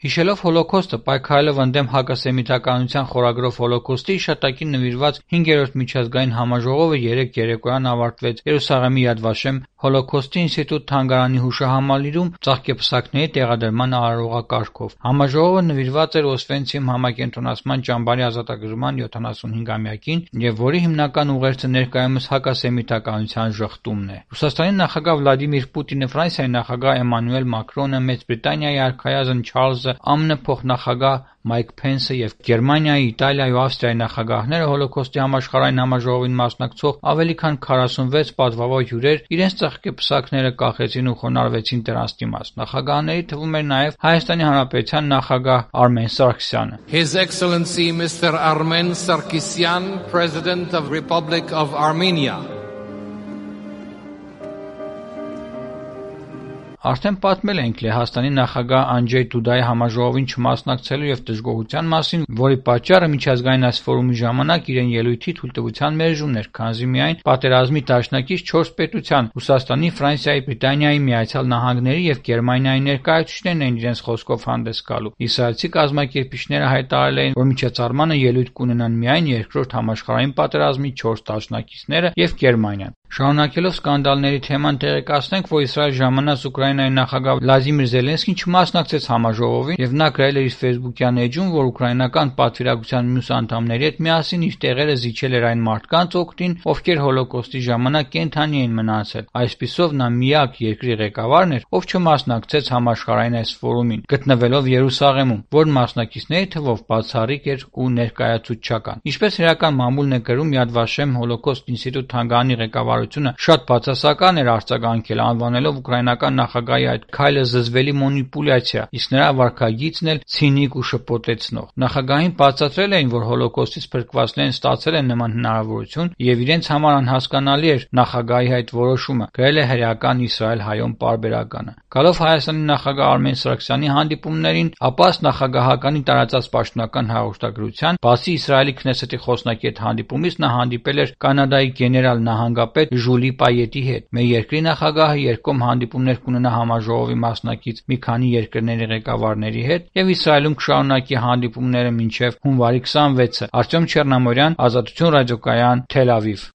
Հիշելով հոլոքոստը, պայքարելով ընդդեմ հակասեմիտականության խորագրով հոլոքոստի հիշատակին նվիրված 5-րդ միջազգային համաժողովը 3 երեկոյան ավարտվեց Երուսաղեմի Yad Vashem Հոլոքոստի ինստիտուտ թանգարանի հուշահամալիրում ծաղկեպսակների տեղադրման արարողակարգով։ Համաժողովը նվիրված էր Օսվենցիմ համակենտրոնացման ճամբարի ազատագրման 75-ամյակին եւ որի հիմնական ուղերձը ներկայումս հակասեմիտականության ժխտումն է։ Ռուսաստանի նախագահ Վլադիմիր Պուտինը, Ֆրանսիայի նախագահ Էմանուել Մակրոնը, Մեծ Բրիտանիայի արքայազն Չարլզը, ԱՄՆ փոխնախագահ Մայք Փենսը եւ Գերմանիայի, Իտալիայի ու Ավստրիայի նախագահները հոլոքոստի համաշխարհային համաժողովին մասնակցող ավելի քան 46 պատվավոր հյուրեր իրենց ծաղկեպսակները կախեցին ու խոնարհվեցին դրանց դիմաց։ Նախագահների թվում էր նաեւ Հայաստանի Հանրապետության նախագահ Արմեն Սարգսյանը։ His Excellency Mr. Armen Sarkisyan, President of Republic of Armenia. Արդեն պատմել ենք Լեհաստանի նախագահ Անջեյ Դուդայի համաժողովին չմասնակցելու եւ դժգոհության մասին, որի պատճառը միջազգային այս ֆորումի ժամանակ իրեն ելույթի թույլտվության մերժումն էր, քանզի միայն պատերազմի դաշնակից 4 պետության՝ Ռուսաստանի, Ֆրանսիայի, Բրիտանիայի, Միացյալ Նահանգների եւ Գերմանիայի ներկայացուցիչներն են իրենց խոսքով հանդես գալու։ Իսրայելցի կազմակերպիչները հայտարարել էին, որ միջոցառմանը ելույթ կունենան միայն երկրորդ համաշխարհային պատերազմի 4 դաշնակիցները եւ Գերմանիան։ Շարունակելով սկանդալների թեման, տեղեկացնենք, որ Իսրայել ժամանած Ուկրաինայի նախագահ Վլադիմիր Զելենսկին չմասնակցեց համաժողովին եւ նա գրել էր իր Facebook-յան էջում, որ ուկրաինական պատվիրակության մյուս անդամների հետ միասին իր տեղերը զիջել էր այն մարդկանց օգտին, ովքեր հոլոկոստի ժամանակ կենդանի էին մնացել։ Այսպիսով նա միակ երկրի ղեկավարն էր, ով չմասնակցեց համաշխարհային այս ֆորումին, գտնվելով Երուսաղեմում, որ մասնակիցների թվով բացառիկ էր ու ներկայացուցչական։ Ինչպես իրական մամուլն է գրում, Yad Vashem Հոլոքոստ ինստիտուտ թանգարանի ղեկավարությունը շատ բացասական էր արձագանքել, անվանելով ուկրաինական նախագահի այդ քայլը զզվելի մանիպուլյացիա, իսկ նրա վարքագիծն էլ ցինիկ ու շփոթեցնող։ Նախագահին բացատրել էին, որ հոլոկոստից փրկվածներն ստացել են նման հնարավորություն եւ իրենց համար անհասկանալի էր նախագահի այդ որոշումը, գրել է հրեական Իսրայել հայոն պարբերականը։ Գալով Հայաստանի նախագահ Արմեն Սարգսյանի հանդիպումներին, ապա ըստ նախագահականի տարածած պաշտոնական հաղորդագրության, բացի Իսրայելի Քնեսեթի խոսնակի հետ հանդիպումից, նա հանդիպել էր Կանադայի գեներալ նահանգապետ Ժուլի Պայետի հետ։ Մեր երկրի նախագահը երկկողմ հանդիպումներ կունենա համաժողովի մասնակից մի քանի երկրների ղեկավարների հետ եւ Իսրայելում կշարունակի հանդիպումները մինչեւ հունվարի 26-ը։ Արտյոմ Չեռնամորյան, Ազատություն ռադիոկայան, Թել Ավիվ։